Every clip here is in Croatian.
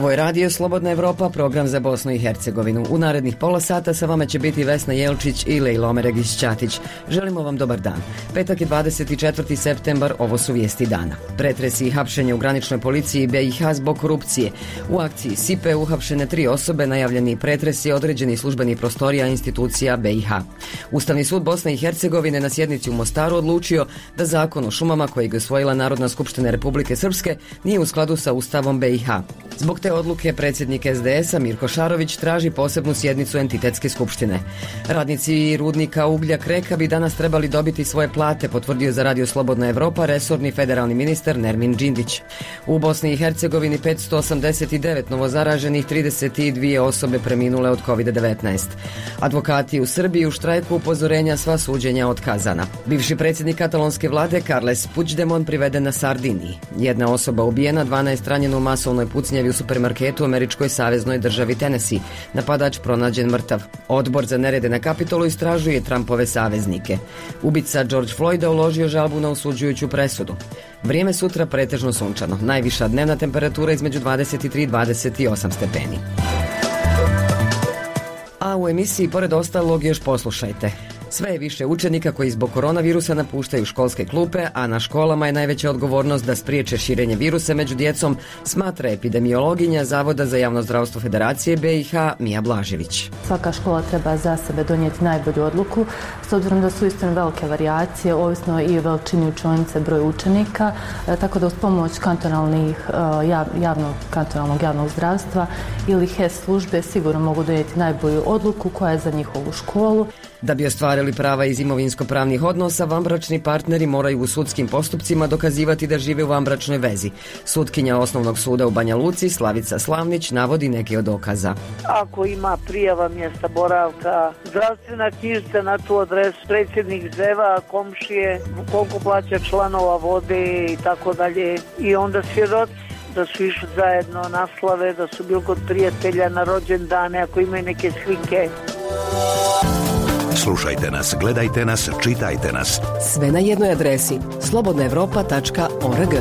Ovo je Radio Slobodna Evropa, program za Bosnu i Hercegovinu. U narednih pola sata sa vama će biti Vesna Jelčić i Lejla Omeregić-Ćatić. Želimo vam dobar dan. Petak je 24. septembar, ovo su vijesti dana. Pretresi i hapšenje u graničnoj policiji BiH zbog korupcije. U akciji SIPE uhapšene 3 osobe, najavljeni pretresi određeni službenih prostorija institucija BiH. Ustavni sud Bosne i Hercegovine na sjednici u Mostaru odlučio da zakon o šumama kojeg je usvojila Narodna skupština Republike Srpske nije u skladu sa Ustavom BiH. Zbog te odluke predsjednik SDS-a Mirko Šarović traži posebnu sjednicu entitetske skupštine. Radnici rudnika uglja Kreka bi danas trebali dobiti svoje plate, potvrdio za Radio Slobodna Evropa resorni federalni ministar Nermin Džindić. U Bosni i Hercegovini 589 novozaraženih, 32 osobe preminule od COVID-19. Advokati u Srbiji u štrajku upozorenja, sva suđenja otkazana. Bivši predsjednik katalonske vlade Carles Puigdemont priveden na Sardiniji. Jedna osoba ubijena, 12 ranjeno u masovnoj pucnjavi u supermarketu u američkoj saveznoj državi Tennessee. Napadač pronađen mrtav. Odbor za nerede na Kapitolu istražuje Trumpove saveznike. Ubica George Floyda uložio žalbu na osuđujuću presudu. Vrijeme sutra pretežno sunčano. Najviša dnevna temperatura između 23 i 28 stepeni. A u emisiji pored ostalog još poslušajte. Sve je više učenika koji zbog koronavirusa napuštaju školske klupe, a na školama je najveća odgovornost da spriječe širenje virusa među djecom, smatra epidemiologinja Zavoda za javno zdravstvo Federacije BiH Mija Blažević. Svaka škola treba za sebe donijeti najbolju odluku, s obzirom da su istinu velike varijacije, ovisno i o veličini učionice, broj učenika, tako da uz pomoć kantonalnog javnog zdravstva ili HES službe sigurno mogu donijeti najbolju odluku koja je za njihovu školu. Da bi ostvarili prava iz imovinsko-pravnih odnosa, vanbračni partneri moraju u sudskim postupcima dokazivati da žive u vanbračnoj vezi. Sutkinja Osnovnog suda u Banja Luci, Slavica Slavnić, navodi neke od dokaza. Ako ima prijava mjesta boravka, zdravstvena knjižica na tu adresu, predsjednik zeva, komšije, koliko plaća članova vode i tako dalje. I onda svjedoci da su išli zajedno na slave, da su bili kod prijatelja na rođendane, ako imaju neke slike. Slušajte nas, gledajte nas, čitajte nas. Sve na jednoj adresi slobodnaevropa.org.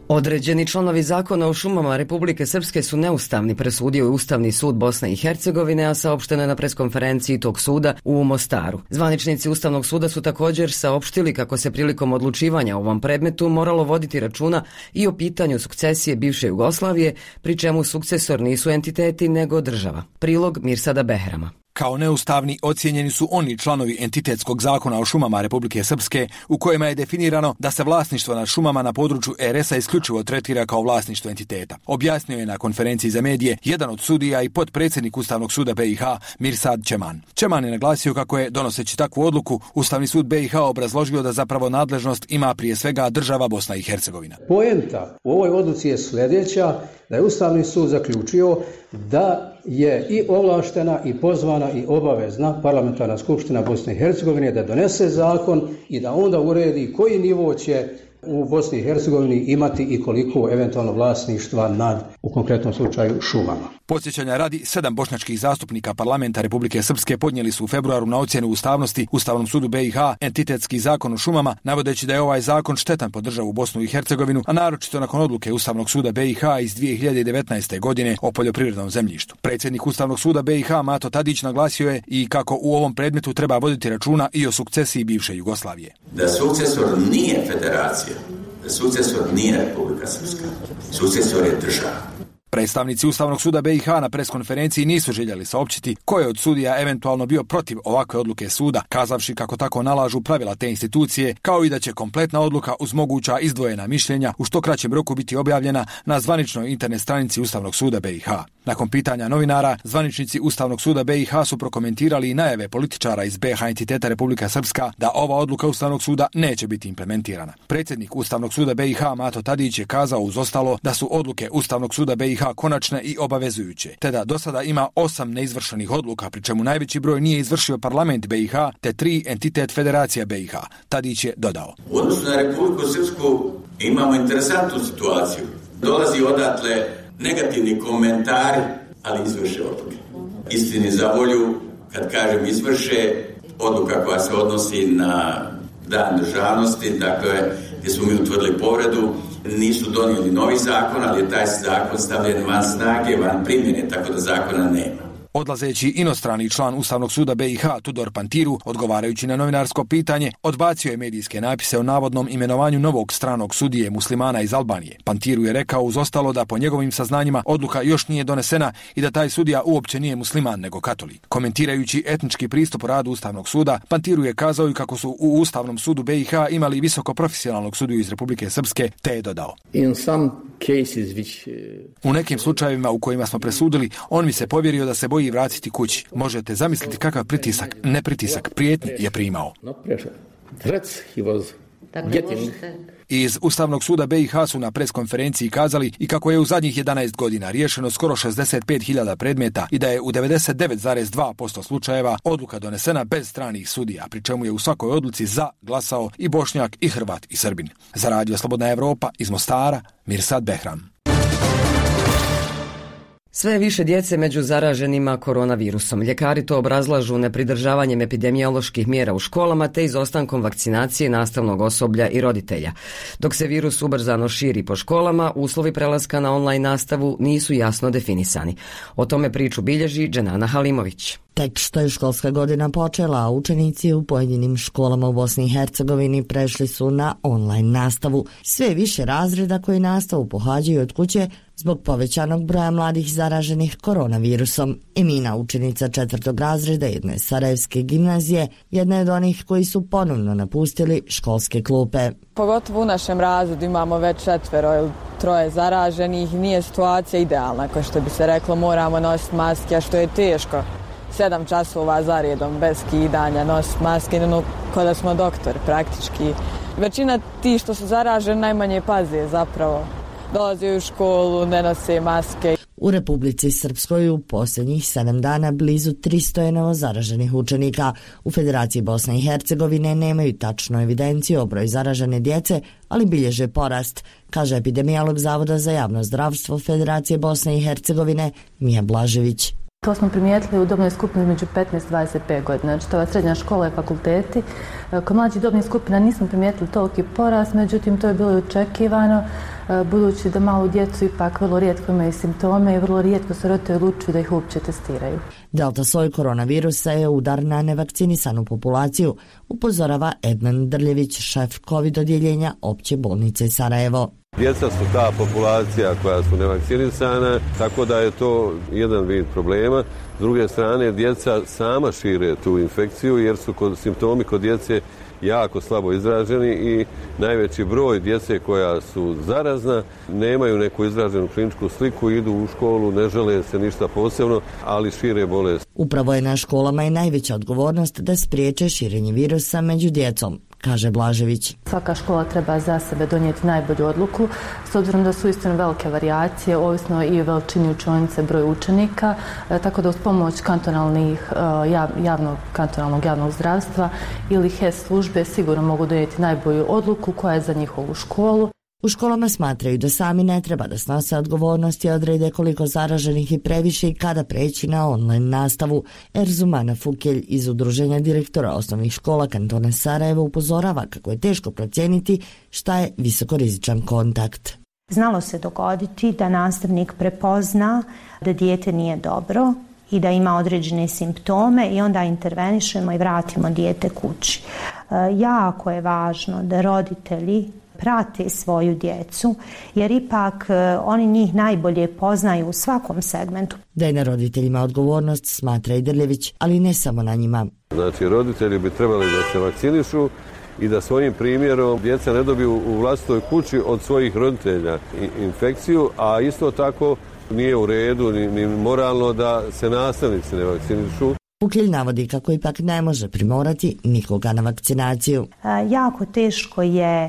Određeni članovi zakona o šumama Republike Srpske su neustavni, presudio je Ustavni sud Bosne i Hercegovine, a saopšteno je na preskonferenciji tog suda u Mostaru. Zvaničnici Ustavnog suda su također saopštili kako se prilikom odlučivanja o ovom predmetu moralo voditi računa i o pitanju sukcesije bivše Jugoslavije, pri čemu sukcesor nisu entiteti nego država. Prilog Mirsada Behrama. Kao neustavni ocijenjeni su oni članovi entitetskog zakona o šumama Republike Srpske u kojima je definirano da se vlasništvo nad šumama na području RS-a isključivo tretira kao vlasništvo entiteta. Objasnio je na konferenciji za medije jedan od sudija i potpredsjednik Ustavnog suda BiH Mirsad Čeman. Čeman je naglasio kako je, donoseći takvu odluku, Ustavni sud BiH obrazložio da zapravo nadležnost ima prije svega država Bosna i Hercegovina. Poenta u ovoj odluci je sljedeća, da je Ustavni sud zaključio da je i ovlaštena i pozvana i obavezna parlamentarna skupština Bosne i Hercegovine da donese zakon i da onda uredi koji nivo će u Bosni i Hercegovini imati i koliko eventualno vlasništva nad, u konkretnom slučaju, šumama. Podsjećanja radi, 7 bošnjačkih zastupnika parlamenta Republike Srpske podnijeli su u februaru na ocjenu ustavnosti Ustavnom sudu BiH entitetski zakon o šumama, navodeći da je ovaj zakon štetan po državu Bosnu i Hercegovinu, a naročito nakon odluke Ustavnog suda BiH iz 2019. godine o poljoprivrednom zemljištu. Predsjednik Ustavnog suda BiH Mato Tadić naglasio je i kako u ovom predmetu treba voditi računa i o sukcesiji bivše Jugoslavije. Da sukcesor nije federacija, da sukcesor nije Republika Srpska, sukcesor je država. Predstavnici Ustavnog suda BiH na preskonferenciji nisu željeli saopćiti ko je od sudija eventualno bio protiv ovakve odluke suda, kazavši kako tako nalažu pravila te institucije, kao i da će kompletna odluka uz moguća izdvojena mišljenja u što kraćem roku biti objavljena na zvaničnoj internet stranici Ustavnog suda BiH. Nakon pitanja novinara, zvaničnici Ustavnog suda BiH su prokomentirali i najave političara iz BiH entiteta Republika Srpska da ova odluka Ustavnog suda neće biti implementirana. Predsjednik Ustavnog suda BiH Mato Tadić je kazao uz ostalo da su odluke Ustavnog suda BiH konačne i obavezujuće, te da do sada ima 8 neizvršenih odluka, pri čemu najveći broj nije izvršio parlament BiH, te 3 entitet Federacija BiH. Tadić je dodao. U odnosu na Republiku Srpsku imamo interesantnu situaciju. Dolazi odatle negativni komentari, ali izvrše odluke. Istini za volju, kad kažem izvrše, odluka koja se odnosi na dan državnosti, dakle, gdje smo mi utvrdili povredu, nisu donijeli novi zakon, ali je taj zakon stavljen van snage, van primjene, tako da zakona nema. Odlazeći inostrani član Ustavnog suda BiH Tudor Pantiru, odgovarajući na novinarsko pitanje, odbacio je medijske napise o navodnom imenovanju novog stranog sudije muslimana iz Albanije. Pantiru je rekao uz ostalo da po njegovim saznanjima odluka još nije donesena i da taj sudija uopće nije musliman nego katolik. Komentirajući etnički pristup radu Ustavnog suda, Pantiru je kazao i kako su u Ustavnom sudu BiH imali visoko profesionalnog sudiju iz Republike Srpske, te je dodao: u nekim slučajevima u kojima smo presudili, on mi se povjerio da se boji vratiti kući. Možete zamisliti kakav pritisak, ne pritisak, prijetnji je primao. Iz Ustavnog suda BiH su na preskonferenciji kazali i kako je u zadnjih 11 godina riješeno skoro 65.000 predmeta i da je u 99,2% slučajeva odluka donesena bez stranih sudija, pri čemu je u svakoj odluci za glasao i Bošnjak i Hrvat i Srbin. Za Radio Slobodna Evropa iz Mostara, Mirsad Behram. Sve je više djece među zaraženima koronavirusom. Ljekari to obrazlažu nepridržavanjem epidemioloških mjera u školama te izostankom vakcinacije nastavnog osoblja i roditelja. Dok se virus ubrzano širi po školama, uslovi prelaska na online nastavu nisu jasno definisani. O tome priču bilježi Dženana Halimović. Tek što je školska godina počela, a učenici u pojedinim školama u Bosni i Hercegovini prešli su na online nastavu. Sve više razreda koji nastavu pohađaju od kuće zbog povećanog broja mladih zaraženih koronavirusom. Emina, učenica 4. razreda jedne sarajevske gimnazije, jedna je od onih koji su ponovno napustili školske klupe. Pogotovo u našem razredu imamo već 4 ili 3 zaraženih, nije situacija idealna, kao što bi se reklo, moramo nositi maske, a što je teško. 7 časova za redom bez skidanja, nositi maske, kao da smo doktori praktički. Većina ti što su zaraženi najmanje paze zapravo. Dolaze u školu, ne nose maske. U Republici Srpskoj u posljednjih 7 dana blizu 300 je novozaraženih učenika. U Federaciji Bosne i Hercegovine nemaju tačnu evidenciju o broju zaražene djece, ali bilježe porast, kaže epidemiolog Zavoda za javno zdravstvo Federacije Bosne i Hercegovine Mija Blažević. To smo primijetili u dobnoj skupini među 15 i 25 godina, znači to je srednja škola i fakulteti. Kod mlađih dobnih skupina nismo primijetili toliki porast, međutim to je bilo i očekivano, budući da malu djecu ipak vrlo rijetko imaju simptome i vrlo rijetko se roditelji odlučuju da ih uopće testiraju. Delta soj koronavirusa je udar na nevakcinisanu populaciju, upozorava Edman Drljević, šef COVID odjeljenja Opće bolnice Sarajevo. Djeca su ta populacija koja su nevakcinisana, tako da je to jedan vid problema. S druge strane, djeca sama šire tu infekciju jer su simptomi kod djece jako slabo izraženi i najveći broj djece koja su zarazna nemaju neku izraženu kliničku sliku, idu u školu, ne žele se ništa posebno, ali šire bolest. Upravo je na školama i najveća odgovornost da spriječe širenje virusa među djecom, kaže Blažević. Svaka škola treba za sebe donijeti najbolju odluku, s obzirom da su istino velike varijacije, ovisno i o veličini učionice, broj učenika, tako da uz pomoć kantonalnog javnog zdravstva ili HES službe sigurno mogu donijeti najbolju odluku koja je za njihovu školu. U školama smatraju da sami ne treba da snose odgovornost i odrede koliko zaraženih i previše i kada preći na online nastavu. Erzumana Fukelj iz Udruženja direktora osnovnih škola kantona Sarajevo upozorava kako je teško procijeniti šta je visokorizičan kontakt. Znalo se dogoditi da nastavnik prepozna da dijete nije dobro i da ima određene simptome i onda intervenišemo i vratimo dijete kući. Jako je važno da roditelji prate svoju djecu, jer ipak oni njih najbolje poznaju u svakom segmentu. Da je na roditeljima odgovornost, smatra i Drljević, ali ne samo na njima. Znači, roditelji bi trebali da se vakcinišu i da svojim primjerom djeca ne dobiju u vlastitoj kući od svojih roditelja infekciju, a isto tako nije u redu ni moralno da se nastavnici ne vakcinišu. Fukelj navodi kako ipak ne može primorati nikoga na vakcinaciju. Jako teško je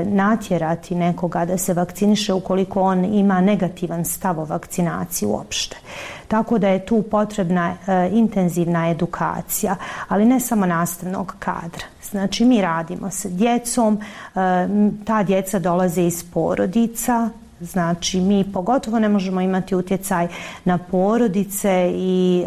natjerati nekoga da se vakciniše ukoliko on ima negativan stav o vakcinaciji uopšte. Tako da je tu potrebna intenzivna edukacija, ali ne samo nastavnog kadra. Znači mi radimo sa djecom, ta djeca dolaze iz porodica, znači mi pogotovo ne možemo imati utjecaj na porodice i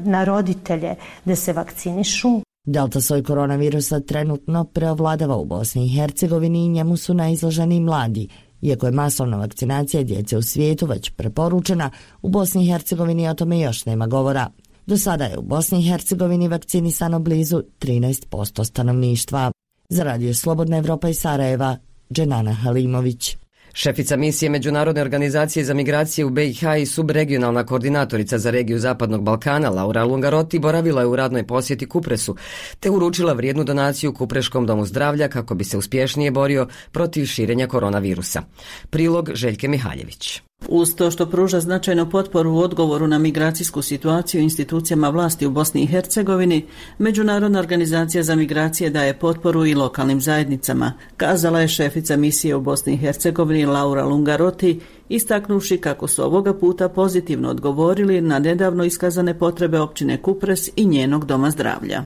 na roditelje da se vakcinišu. Delta soj koronavirusa trenutno preovladava u Bosni i Hercegovini i njemu su najizloženi mladi Iako je masovna vakcinacija djece u svijetu već preporučena, u Bosni i Hercegovini o tome još nema govora. Do sada je u Bosni i Hercegovini vakcinisano blizu 13% stanovništva. Za Radio Slobodna Evropa iz Sarajeva, Dženana Halimović. Šefica misije Međunarodne organizacije za migracije u BiH i subregionalna koordinatorica za regiju Zapadnog Balkana Laura Lungarotti boravila je u radnoj posjeti Kupresu, te uručila vrijednu donaciju Kupreškom domu zdravlja kako bi se uspješnije borio protiv širenja koronavirusa. Prilog Željke Mihaljević. Uz to što pruža značajnu potporu u odgovoru na migracijsku situaciju institucijama vlasti u Bosni i Hercegovini, Međunarodna organizacija za migracije daje potporu i lokalnim zajednicama, kazala je šefica misije u Bosni i Hercegovini Laura Lungarotti, istaknuvši kako su ovoga puta pozitivno odgovorili na nedavno iskazane potrebe općine Kupres i njenog doma zdravlja.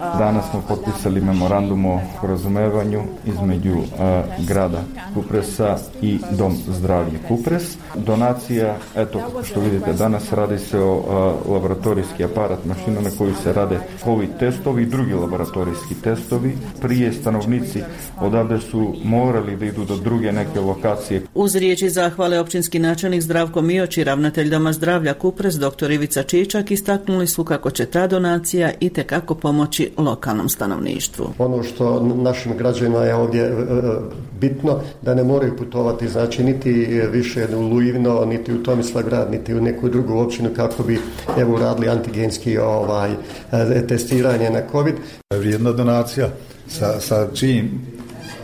Danas smo potpisali memorandum o razumevanju između grada Kupresa i Dom zdravlja Kupres. Donacija, eto što vidite danas, radi se o laboratorijski aparat, mašina na koju se rade COVID testovi i drugi laboratorijski testovi. Prije stanovnici odavde su morali da idu do druge neke lokacije. Uz riječi zahvale općinski načelnik Zdravko Mioć i ravnatelj Doma zdravlja Kupres dr. Ivica Čičak istaknuli su kako će ta donacija itekako pomoći lokalnom stanovništvu. Ono što našim građanima je ovdje bitno, da ne moraju putovati, znači niti više u Lujivno, niti u Tomislavgrad, niti u neku drugu općinu kako bi uradili antigenski testiranje na COVID. Vrijedna donacija sa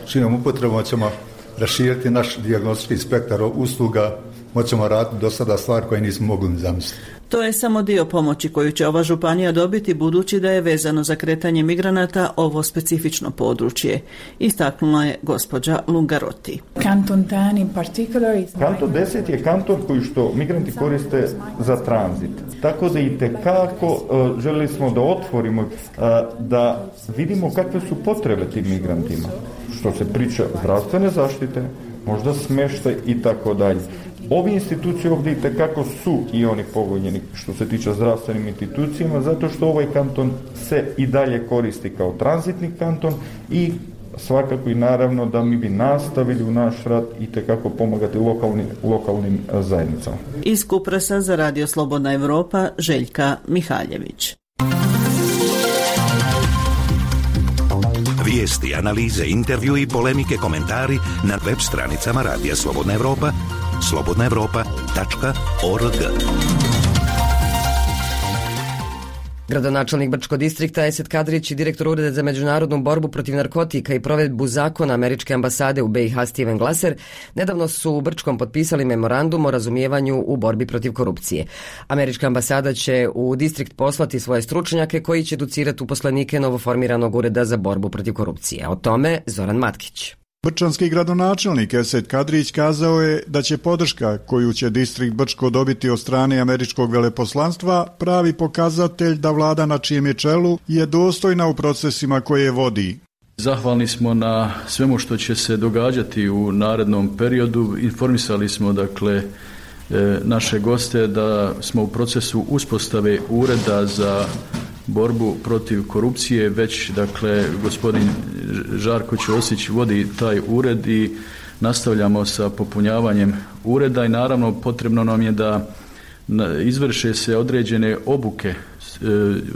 čijom upotrebom ćemo raširiti naš dijagnostički spektar usluga, moćemo raditi do sada stvar koje nismo mogli ni zamisliti. To je samo dio pomoći koju će ova županija dobiti budući da je vezano za kretanje migranata ovo specifično područje, istaknula je gospođa Lungarotti. Kanton 10 je kanton koji što migranti koriste za tranzit. Tako da itekako željeli smo da otvorimo, da vidimo kakve su potrebe tim migrantima. Što se priča zdravstvene zaštite, možda smještaj i tako dalje. Ovi institucije ovdje itekako su i oni pogođeni što se tiče zdravstvenim institucijama, zato što ovaj kanton se i dalje koristi kao tranzitni kanton i svakako i naravno da mi bi nastavili u naš rad itekako pomagati lokalnim zajednicama. Iz Kupresa za Radio Slobodna Evropa, Željka Mihaljević. Vijesti, analize, intervju i polemike, komentari na web stranicama Radija Slobodna Evropa, slobodnaevropa.org. Gradonačelnik Brčkog distrikta Esed Kadrić i direktor Ureda za međunarodnu borbu protiv narkotika i provedbu zakona Američke ambasade u BiH Steven Glaser nedavno su u Brčkom potpisali memorandum o razumijevanju u borbi protiv korupcije. Američka ambasada će u distrikt poslati svoje stručnjake koji će educirati uposlenike novoformiranog Ureda za borbu protiv korupcije. O tome Zoran Matkić. Brčanski gradonačelnik Esed Kadrić kazao je da će podrška koju će distrikt Brčko dobiti od strane američkog veleposlanstva pravi pokazatelj da vlada na čijem je čelu je dostojna u procesima koje vodi. Zahvalni smo na svemu što će se događati u narednom periodu. Informisali smo naše goste da smo u procesu uspostave ureda za borbu protiv korupcije, već gospodin Žarko Ćosić vodi taj ured i nastavljamo sa popunjavanjem ureda i naravno potrebno nam je da izvrše se određene obuke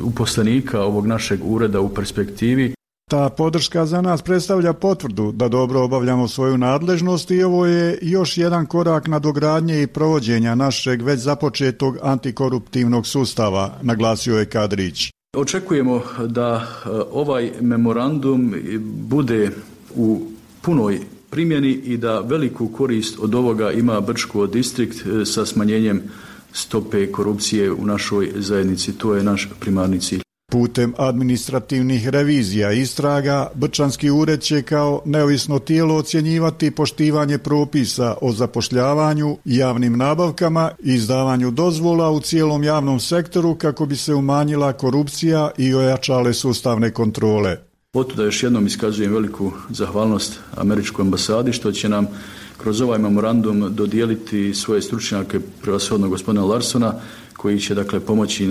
uposlenika ovog našeg ureda u perspektivi. Ta podrška za nas predstavlja potvrdu da dobro obavljamo svoju nadležnost i ovo je još jedan korak nadogradnje i provođenja našeg već započetog antikoruptivnog sustava, naglasio je Kadrić. Očekujemo da ovaj memorandum bude u punoj primjeni i da veliku korist od ovoga ima Brčko distrikt sa smanjenjem stope korupcije u našoj zajednici. To je naš primarni cilj. Putem administrativnih revizija i istraga, Brčanski ured će kao neovisno tijelo ocjenjivati poštivanje propisa o zapošljavanju, javnim nabavkama i izdavanju dozvola u cijelom javnom sektoru kako bi se umanjila korupcija i ojačale sustavne kontrole. Otuda još jednom iskazujem veliku zahvalnost američkoj ambasadi što će nam kroz ovaj memorandum dodijeliti svoje stručnjake, prevashodno gospodina Larsona, koji će pomoći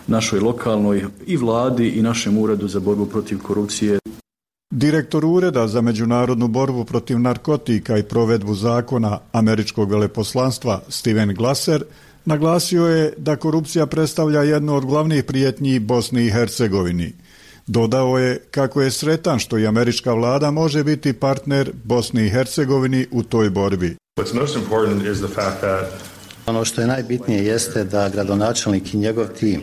našoj lokalnoj i vladi i našem uredu za borbu protiv korupcije. Direktor Ureda za međunarodnu borbu protiv narkotika i provedbu zakona američkog veleposlanstva Steven Glasser naglasio je da korupcija predstavlja jednu od glavnih prijetnji Bosni i Hercegovini. Dodao je kako je sretan što i američka vlada može biti partner Bosni i Hercegovini u toj borbi. Ono što je najbitnije jeste da gradonačelnik i njegov tim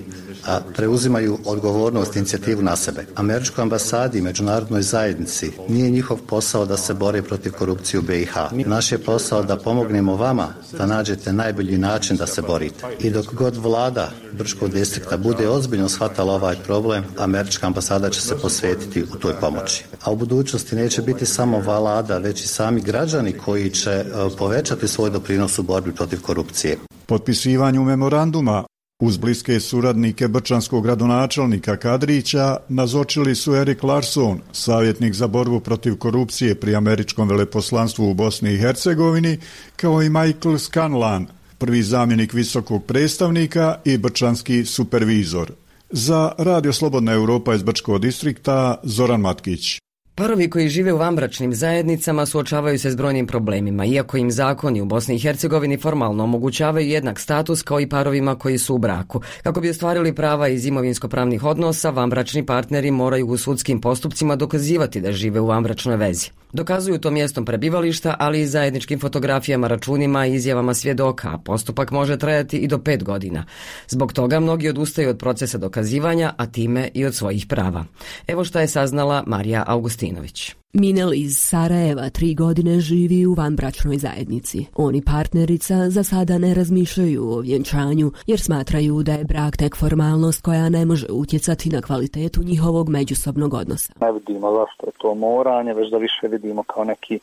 preuzimaju odgovornost i inicijativu na sebe. Američkoj ambasadi i međunarodnoj zajednici nije njihov posao da se bore protiv korupcije u BiH. Naš je posao da pomognemo vama da nađete najbolji način da se borite. I dok god vlada Brčkog distrikta bude ozbiljno shvatala ovaj problem, američka ambasada će se posvetiti u toj pomoći. A u budućnosti neće biti samo vlada, već i sami građani koji će povećati svoj doprinos u borbi protiv korupcije. Potpisivanju memoranduma uz bliske suradnike brčanskog gradonačelnika Kadrića nazočili su Erik Larson, savjetnik za borbu protiv korupcije pri američkom veleposlanstvu u Bosni i Hercegovini, kao i Michael Scanlan, prvi zamjenik visokog predstavnika i brčanski supervizor. Za Radio Slobodna Europa iz Brčkog distrikta, Zoran Matkić. Parovi koji žive u vanbračnim zajednicama suočavaju se s brojnim problemima, iako im zakoni u Bosni i Hercegovini formalno omogućavaju jednak status kao i parovima koji su u braku. Kako bi ostvarili prava iz imovinsko-pravnih odnosa, vanbračni partneri moraju u sudskim postupcima dokazivati da žive u vanbračnoj vezi. Dokazuju to mjestom prebivališta, ali i zajedničkim fotografijama, računima i izjavama svjedoka, a postupak može trajati i do 5 godina. Zbog toga mnogi odustaju od procesa dokazivanja, a time i od svojih prava. Evo šta je saznala Marija Augustinović. Minel iz Sarajeva 3 godine živi u vanbračnoj zajednici. On i partnerica za sada ne razmišljaju o vjenčanju jer smatraju da je brak tek formalnost koja ne može utjecati na kvalitetu njihovog međusobnog odnosa. Ne vidimo zašto je to moranje, već da više vidimo kao neki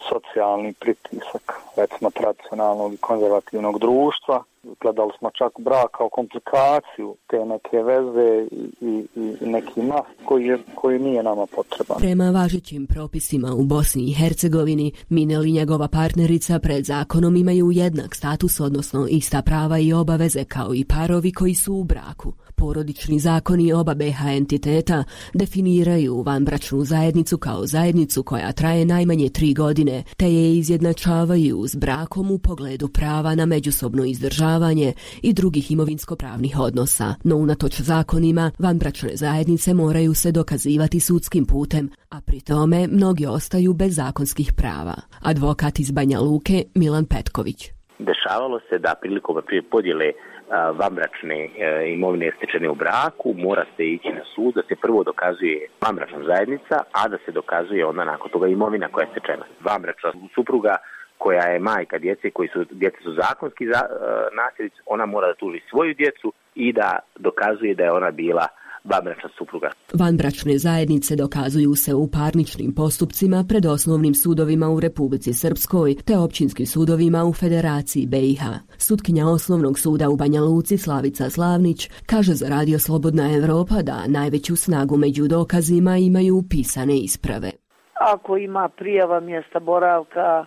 socijalni pritisak, recimo tradicionalnog i konzervativnog društva. Gledali smo čak brak kao komplikaciju te neke veze i neki mast koji nije nama potreban. Prema važećim propisima u Bosni i Hercegovini, Minel i njegova partnerica pred zakonom imaju jednak status, odnosno ista prava i obaveze kao i parovi koji su u braku. Porodični zakoni oba BiH entiteta definiraju vanbračnu zajednicu kao zajednicu koja traje najmanje 3 godine, te je izjednačavaju s brakom u pogledu prava na međusobno izdržavanje i drugih imovinsko-pravnih odnosa. No unatoč zakonima, vanbračne zajednice moraju se dokazivati sudskim putem, a pri tome mnogi ostaju bez zakonskih prava. Advokat iz Banja Luke Milan Petković. Dešavalo se da prilikom podjele vanbračne imovine stečene u braku mora se ići na sud da se prvo dokazuje vanbračna zajednica, a da se dokazuje onda nakon toga imovina koja je stečena. Vanbračna supruga koja je majka djece djeca su zakonski nasljednici, ona mora da tuži svoju djecu i da dokazuje da je ona bila vanbračna supruga. Vanbračne zajednice dokazuju se u parničnim postupcima pred osnovnim sudovima u Republici Srpskoj te općinskim sudovima u Federaciji BiH. Sutkinja Osnovnog suda u Banja Luci Slavica Slavnić kaže za Radio Slobodna Evropa da najveću snagu među dokazima imaju pisane isprave. Ako ima prijava mjesta boravka,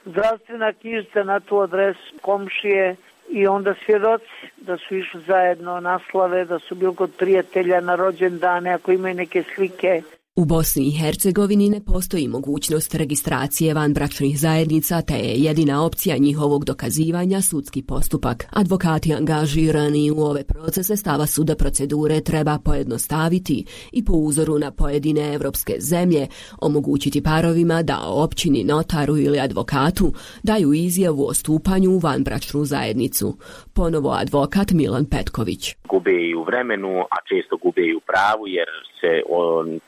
zdravstvena knjižica na tu adresu, komšije, i onda svjedoci da su išli zajedno na slave, da su bili kod prijatelja na rođendane, ako imaju neke slike. U Bosni i Hercegovini ne postoji mogućnost registracije vanbračnih zajednica, te je jedina opcija njihovog dokazivanja sudski postupak. Advokati angažirani u ove procese stava su da procedure treba pojednostaviti i po uzoru na pojedine evropske zemlje omogućiti parovima da općini, notaru ili advokatu daju izjavu o stupanju u vanbračnu zajednicu. Ponovo advokat Milan Petković. Gube i u vremenu, a često gube i u pravu jer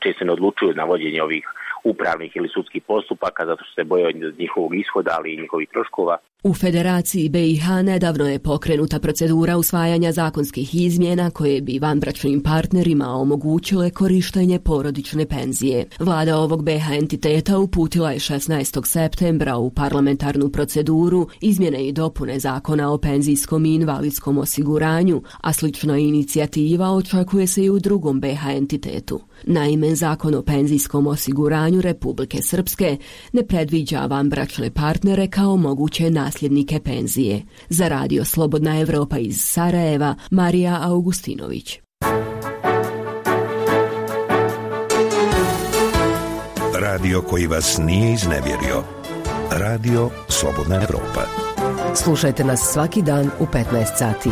često ne odlučuju na vođenje ovih upravnih ili sudskih postupaka zato što se boje od njihovog ishoda, ali i njihovih troškova. U Federaciji BiH nedavno je pokrenuta procedura usvajanja zakonskih izmjena koje bi vanbračnim partnerima omogućile korištenje porodične penzije. Vlada ovog BiH entiteta uputila je 16. septembra u parlamentarnu proceduru izmjene i dopune Zakona o penzijskom i invalidskom osiguranju, a slična inicijativa očekuje se i u drugom BiH entitetu. Naime, Zakon o penzijskom osiguranju Republike Srpske ne predviđa vanbračne partnere kao moguće nasljednike penzije. Za Radio Slobodna Evropa iz Sarajeva, Marija Augustinović. radio koji vas nije iznevjerio. Radio Slobodna Evropa. Slušajte nas svaki dan u 15 sati.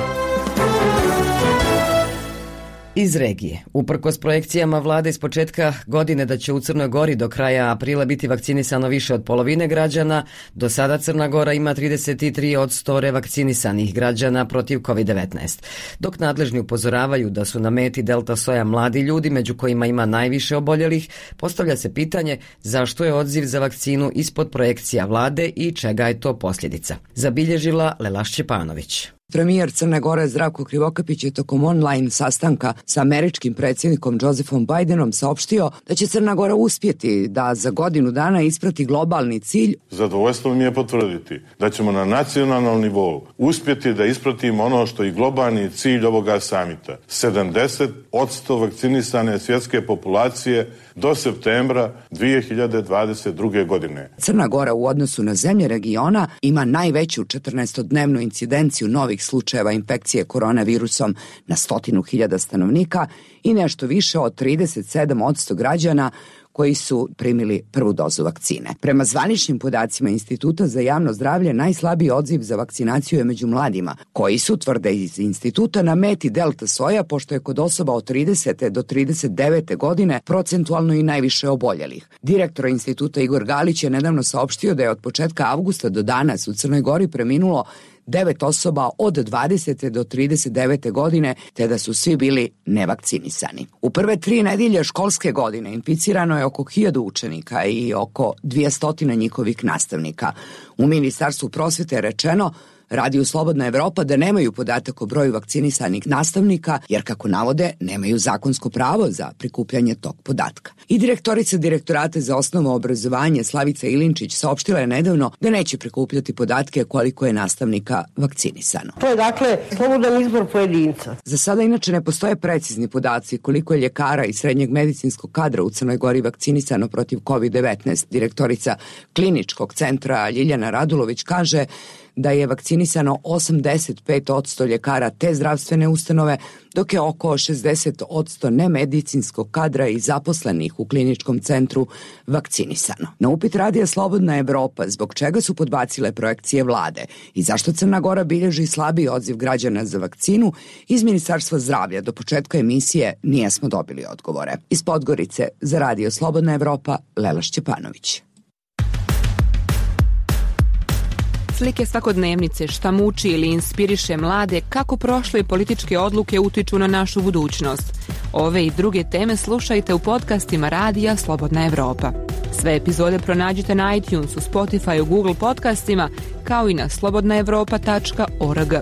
Iz regije. Uprkos projekcijama vlade iz početka godine da će u Crnoj Gori do kraja aprila biti vakcinisano više od polovine građana, do sada Crna Gora ima 33% revakcinisanih građana protiv COVID-19. Dok nadležni upozoravaju da su na meti delta soja mladi ljudi, među kojima ima najviše oboljelih, postavlja se pitanje zašto je odziv za vakcinu ispod projekcija vlade i čega je to posljedica. Zabilježila Lela Šćepanović. Premijer Crne Gore Zdravko Krivokapić je tokom online sastanka sa američkim predsjednikom Josephom Bidenom saopštio da će Crna Gora uspjeti da za godinu dana isprati globalni cilj. Zadovoljstvo mi je potvrditi da ćemo na nacionalnom nivou uspjeti da ispratimo ono što je globalni cilj ovoga samita. 70% vakcinisane svjetske populacije do septembra 2022. godine. Crna Gora u odnosu na zemlje regiona ima najveću 14-dnevnu incidenciju novih slučajeva infekcije koronavirusom na 100.000 stanovnika i nešto više od 37% građana koji su primili prvu dozu vakcine. Prema zvaničnim podacima Instituta za javno zdravlje, najslabiji odziv za vakcinaciju je među mladima, koji su, tvrde iz instituta, na meti delta soja, pošto je kod osoba od 30. do 39. godine procentualno i najviše oboljelih. Direktor instituta Igor Galić je nedavno saopštio da je od početka avgusta do danas u Crnoj Gori preminulo 9 osoba od 20. do 39. godine, te da su svi bili nevakcinisani. U prve 3 nedjelje školske godine inficirano je oko 1000 učenika i oko 200 njihovih nastavnika. U Ministarstvu prosvjete je rečeno Radio Slobodna Evropa da nemaju podatak o broju vakcinisanih nastavnika, jer kako navode, nemaju zakonsko pravo za prikupljanje tog podatka. I direktorica Direktorata za osnovno obrazovanje Slavica Ilinčić saopštila je nedavno da neće prikupljati podatke koliko je nastavnika vakcinisano. To je dakle slobodan izbor pojedinca. Za sada inače ne postoje precizni podaci koliko je ljekara i srednjeg medicinskog kadra u Crnoj Gori vakcinisano protiv COVID-19. Direktorica kliničkog centra Ljiljana Radulović kaže da je vakcinisano 85% ljekara te zdravstvene ustanove, dok je oko 60% nemedicinskog kadra i zaposlenih u kliničkom centru vakcinisano. Na upit Radija Slobodna Evropa zbog čega su podbacile projekcije vlade i zašto Crna Gora bilježi slabiji odziv građana za vakcinu, iz Ministarstva zdravlja do početka emisije nijesmo dobili odgovore. Iz Podgorice za Radio Slobodna Evropa, Lela Šćepanović. Slike svakodnevnice, šta muči ili inspiriše mlade, kako prošle političke odluke utiču na našu budućnost. Ove i druge teme slušajte u podcastima Radija Slobodna Evropa. Sve epizode pronađite na iTunesu, Spotify, Google podcastima, kao i na slobodnaevropa.org.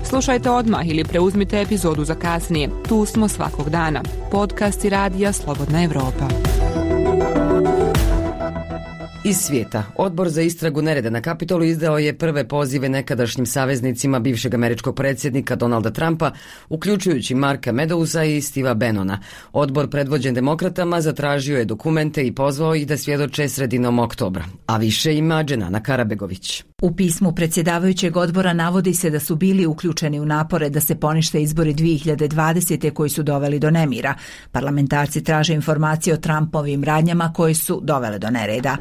Slušajte odmah ili preuzmite epizodu za kasnije. Tu smo svakog dana. Podcasti Radija Slobodna Evropa. Iz svijeta. Odbor za istragu nereda na Kapitolu izdao je prve pozive nekadašnjim saveznicima bivšeg američkog predsjednika Donalda Trumpa, uključujući Marka Medousa i Steva Bannona. Odbor predvođen demokratama zatražio je dokumente i pozvao ih da svjedoče sredinom oktobra. A više ima Dženana Karabegović. U pismu predsjedavajućeg odbora navodi se da su bili uključeni u napore da se ponište izbori 2020. koji su doveli do nemira. Parlamentarci traže informacije o Trumpovim radnjama koje su dovele do nereda.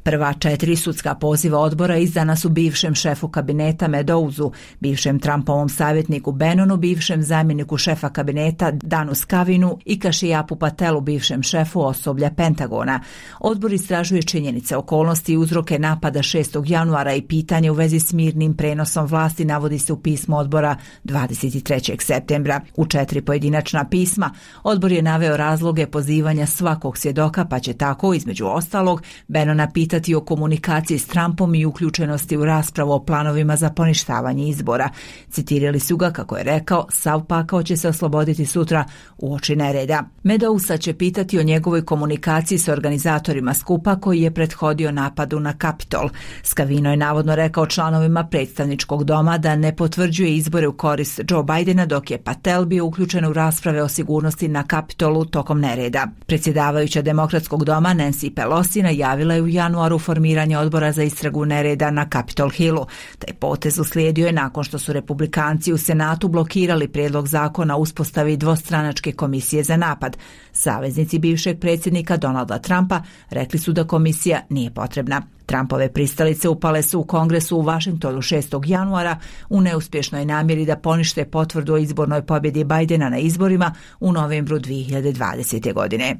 Prva 4 sudska poziva odbora izdana su bivšem šefu kabineta Medousu, bivšem Trumpovom savjetniku Bannonu, bivšem zamjeniku šefa kabineta Danu Skavinu i Kashiyapu Patelu, bivšem šefu osoblja Pentagona. Odbor istražuje činjenice, okolnosti i uzroke napada 6. januara i pitanje u vezi s mirnim prenosom vlasti, navodi se u pismu odbora 23. septembra. U 4 pojedinačna pisma odbor je naveo razloge pozivanja svakog svjedoka, pa će tako, između ostalog, Bannona pitati o komunikaciji s Trumpom i uključenosti u raspravu o planovima za poništavanje izbora. Citirali su ga kako je rekao, sav pakao će se osloboditi sutra uoči nereda. Medousa će pitati o njegovoj komunikaciji s organizatorima skupa koji je prethodio napadu na Kapitol. Skavino je navodno navodno rekao članovima predstavničkog doma da ne potvrđuje izbore u korist Joe Bidena, dok je Patel bio uključen u rasprave o sigurnosti na Kapitolu tokom nereda. Predsjedavajuća Demokratskog doma Nancy Pelosi najavila je u januaru formiranje odbora za istragu nereda na Capitol Hillu. Taj potez uslijedio je nakon što su republikanci u Senatu blokirali prijedlog zakona o uspostavi dvostranačke komisije za napad. Saveznici bivšeg predsjednika Donalda Trumpa rekli su da komisija nije potrebna. Trumpove pristalice upale su u Kongresu u Washingtonu 6. januara u neuspješnoj namjeri da ponište potvrdu o izbornoj pobjedi Bidena na izborima u novembru 2020. godine.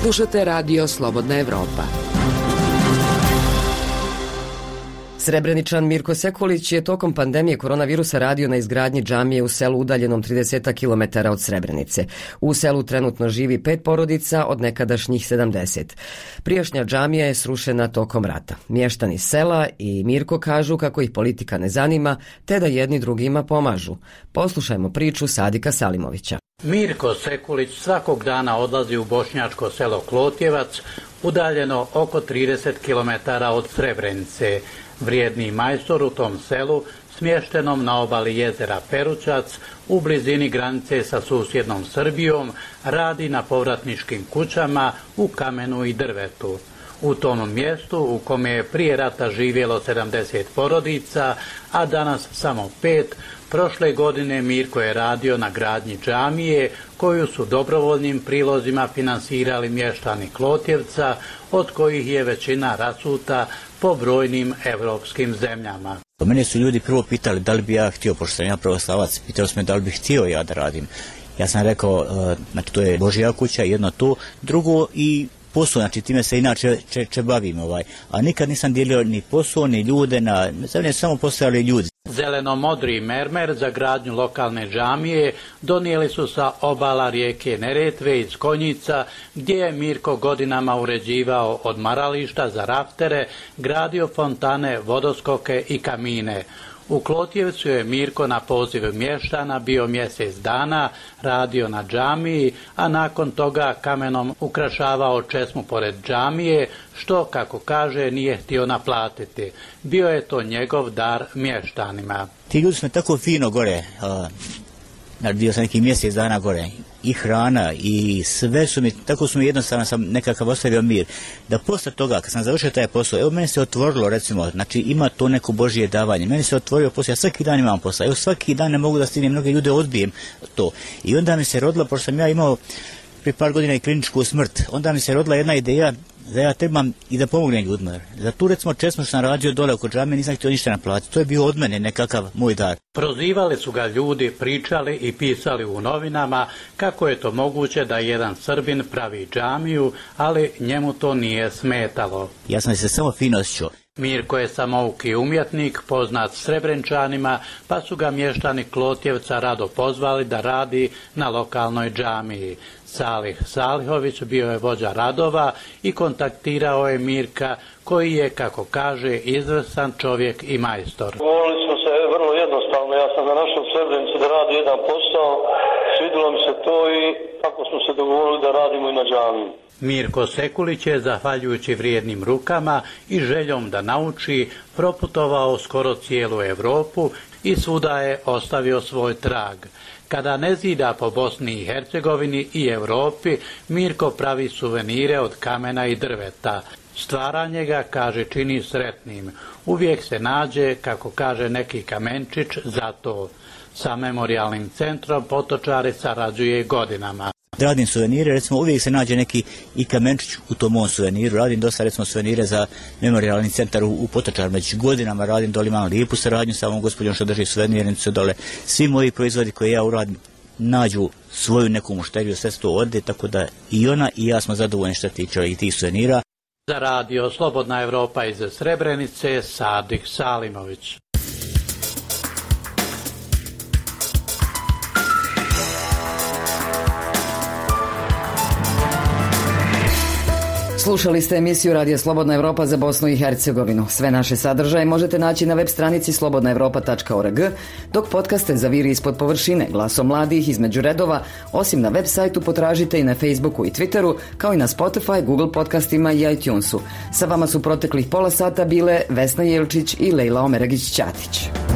Slušate Radio Slobodna Evropa. Srebreničan Mirko Sekulić je tokom pandemije koronavirusa radio na izgradnji džamije u selu udaljenom 30 km od Srebrenice. U selu trenutno živi 5 porodica od nekadašnjih 70. Prijašnja džamija je srušena tokom rata. Mještani sela i Mirko kažu kako ih politika ne zanima, te da jedni drugima pomažu. Poslušajmo priču Sadika Salimovića. Mirko Sekulić svakog dana odlazi u bošnjačko selo Klotjevac, udaljeno oko 30 km od Srebrenice. Vrijedni majstor u tom selu, smještenom na obali jezera Peručac, u blizini granice sa susjednom Srbijom, radi na povratničkim kućama u kamenu i drvetu. U tom mjestu u kome je prije rata živjelo 70 porodica, a danas samo 5, prošle godine Mirko je radio na gradnji džamije koju su dobrovoljnim prilozima finansirali mještani Klotjevca, od kojih je većina rasuta po brojnim evropskim zemljama. Mene su ljudi prvo pitali da li bi ja htio, pošto sam ja pravoslavac, pitali su me da li bih htio ja da radim. Ja sam rekao, znači to je Božja kuća, jedno to, drugo i posao, znači time se inače bavim, a nikad nisam dijelio ni posao, ni ljude, na zemlje samo postojali ljudi. Zeleno-modri mermer za gradnju lokalne džamije donijeli su sa obala rijeke Neretve iz Konjica, gdje je Mirko godinama uređivao odmarališta za raftere, gradio fontane, vodoskoke i kamine. U Klotjevcu je Mirko na poziv mještana bio mjesec dana, radio na džamiji, a nakon toga kamenom ukrašavao česmu pored džamije, što, kako kaže, nije htio naplatiti. Bio je to njegov dar mještanima. Ti ljudi su tako fino gore, bio sam neki mjesec dana gore, i hrana i sve su mi, tako su mi jednostavno sam nekakav ostavio mir. Da posle toga, kad sam završio taj posao, evo meni se otvorilo, recimo, znači ima to neko Božje davanje, meni se otvorio posao, ja svaki dan imam posao, evo svaki dan ne mogu da stignem, mnoge ljude odbijem to. I onda mi se rodila, pošto sam ja imao prije par godina i kliničku smrt, onda mi se rodila jedna ideja da ja trebam i da pomognem ljudima. Za tu, recimo, česmu što sam radio dole oko džame, nisam htio ništa naplatiti. To je bio od mene nekakav moj dar. Prozivali su ga ljudi, pričali i pisali u novinama kako je to moguće da jedan Srbin pravi džamiju, ali njemu to nije smetalo. Ja sam se samo fino osjećao. Mirko je samouki umjetnik, poznat Srebrenčanima, pa su ga mještani Klotjevca rado pozvali da radi na lokalnoj džamiji. Salih Salihović bio je vođa radova i kontaktirao je Mirka, koji je, kako kaže, izvrstan čovjek i majstor. Govorili smo se vrlo jednostavno, ja sam našao u Srebrenici da radi jedan posao, svidjelo mi se to i tako smo se dogovorili da radimo i na džamiji. Mirko Sekulić je, zahvaljujući vrijednim rukama i željom da nauči, proputovao skoro cijelu Europu i svuda je ostavio svoj trag. Kada ne zida po Bosni i Hercegovini i Europi, Mirko pravi suvenire od kamena i drveta. Stvaranje ga, kaže, čini sretnim. Uvijek se nađe, kako kaže, neki kamenčić za to. Sa memorijalnim centrom Potočari sarađuje godinama. Radim suvenire, recimo uvijek se nađe neki i kamenčić u tom mom suveniru. Radim dosta, recimo, suvenire za memorijalni centar u Potočar. Među godinama radim dole, imam lijepu saradnju sa ovom gospođom što drži suvenirnicu dole. Svi moji proizvodi koje ja uradim nađu svoju neku mušteriju, sve to ode, tako da i ona i ja smo zadovoljni što tiče i tih suvenira. Za radio Slobodna Evropa iz Srebrenice, Sadik Salimović. Slušali ste emisiju Radija Slobodna Evropa za Bosnu i Hercegovinu. Sve naše sadržaje možete naći na web stranici slobodnaevropa.org, dok podcaste za Viri ispod površine, Glasom mladih, Između redova, osim na web sajtu potražite i na Facebooku i Twitteru, kao i na Spotify, Google podcastima i iTunesu. Sa vama su proteklih pola sata bile Vesna Jelčić i Lejla Omeragić-Ćatić.